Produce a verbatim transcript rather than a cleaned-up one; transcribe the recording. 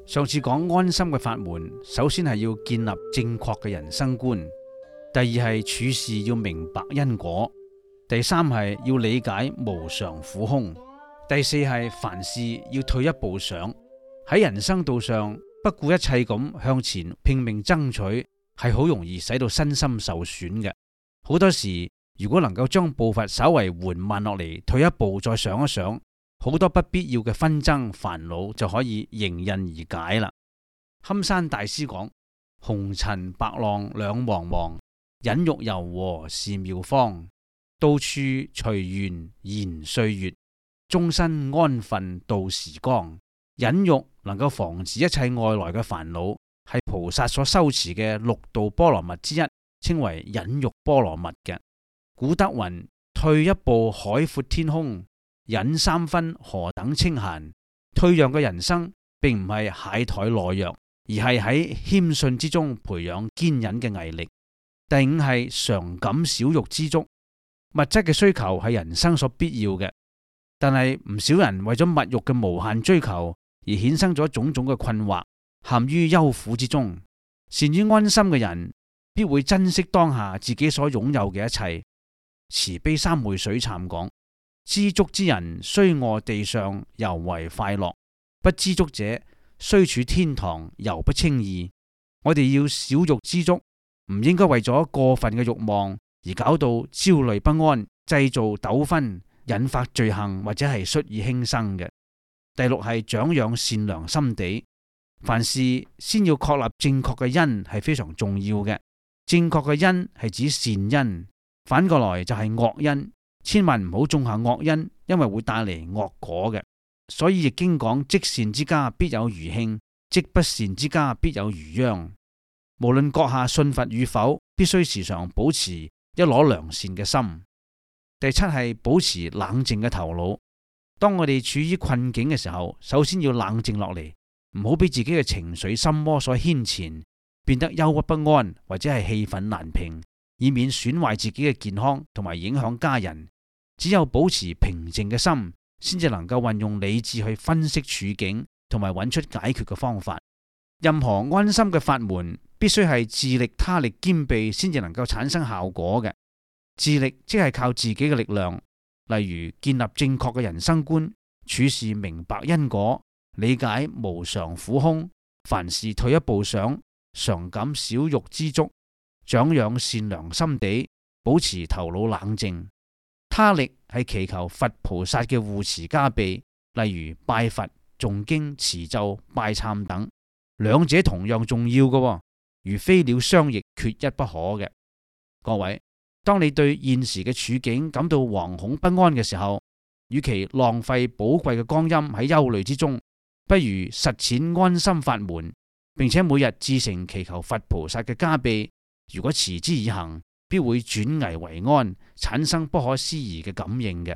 上次講安心嘅法門，首先係要建立正確嘅人生觀，第二係處事要明白因果，第三係要理解無常苦空，第四係凡事要退一步想，喺人生道上不顧一切咁向前拼命爭取，係好容易使到身心受損嘅。好多時如果能夠將步伐稍為緩慢落嚟，退一步再想一想，好多不必要嘅紛爭煩惱就可以迎刃而解啦。堪山大師講：紅塵白浪兩茫茫，忍辱柔和是妙方。到處隨緣延歲月，終身安分度時光。忍辱能夠防止一切外來嘅煩惱，係菩薩所修持嘅六度波羅蜜之一，稱為忍辱波羅蜜嘅。古德云：退一步海闊天空，忍三分何等清閒。退讓嘅人生並唔係懈怠懦弱，而係喺謙遜之中培養堅忍嘅毅力。第五係常感少欲知足。物質嘅需求係人生所必要嘅，但係唔少人為咗物欲嘅無限追求而衍生咗種種嘅困惑，陷於憂苦之中。善於安心嘅人必會珍惜當下自己所擁有嘅一切。慈悲三昧水懺講：知足之人雖臥地上猶為快樂，不知足者雖處天堂猶不稱意。我哋要少欲知足，唔應該為咗過分嘅慾望而搞到焦慮不安，製造糾紛，引發罪行或者係率意輕生嘅。第六係長養善良心地。凡事先要確立正確嘅因係非常重要嘅。正確嘅因係指善因，反過來就係惡因。千萬唔好種下惡因，因為會帶嚟惡果嘅。所以易經講：積善之家必有餘慶，積不善之家必有餘殃。無論閣下信佛與否，必須時常保持一顆良善嘅心。第七係保持冷靜嘅頭腦。當我哋處於困境嘅時候，首先要冷靜落嚟，唔好俾自己嘅情緒心魔所牽纏，變得憂鬱不安或者係氣憤難平，以免損壞自己嘅健康同埋影響家人。只有保持平靜嘅心，先至能夠運用理智去分析處境，同埋揾出解決嘅方法。任何安心嘅法門，必須係自力他力兼備，先至能夠產生效果嘅。自力即係靠自己嘅力量，例如建立正確嘅人生觀，處事明白因果，理解無常苦空，凡事退一步想，常感少欲知足，長養善良心地，保持頭腦冷靜。他力係祈求佛菩薩嘅護持加被，例如拜佛、誦經、持咒、拜懺等，兩者同樣重要嘅，如飛鳥雙翼，缺一不可嘅。各位，當你對現時嘅處境感到惶恐不安嘅時候，與其浪費寶貴嘅光陰喺憂慮之中，不如實踐安心法門，並且每日至誠祈求佛菩薩嘅加被。如果持之以恆，必會轉危為安，產生不可思議嘅感應嘅。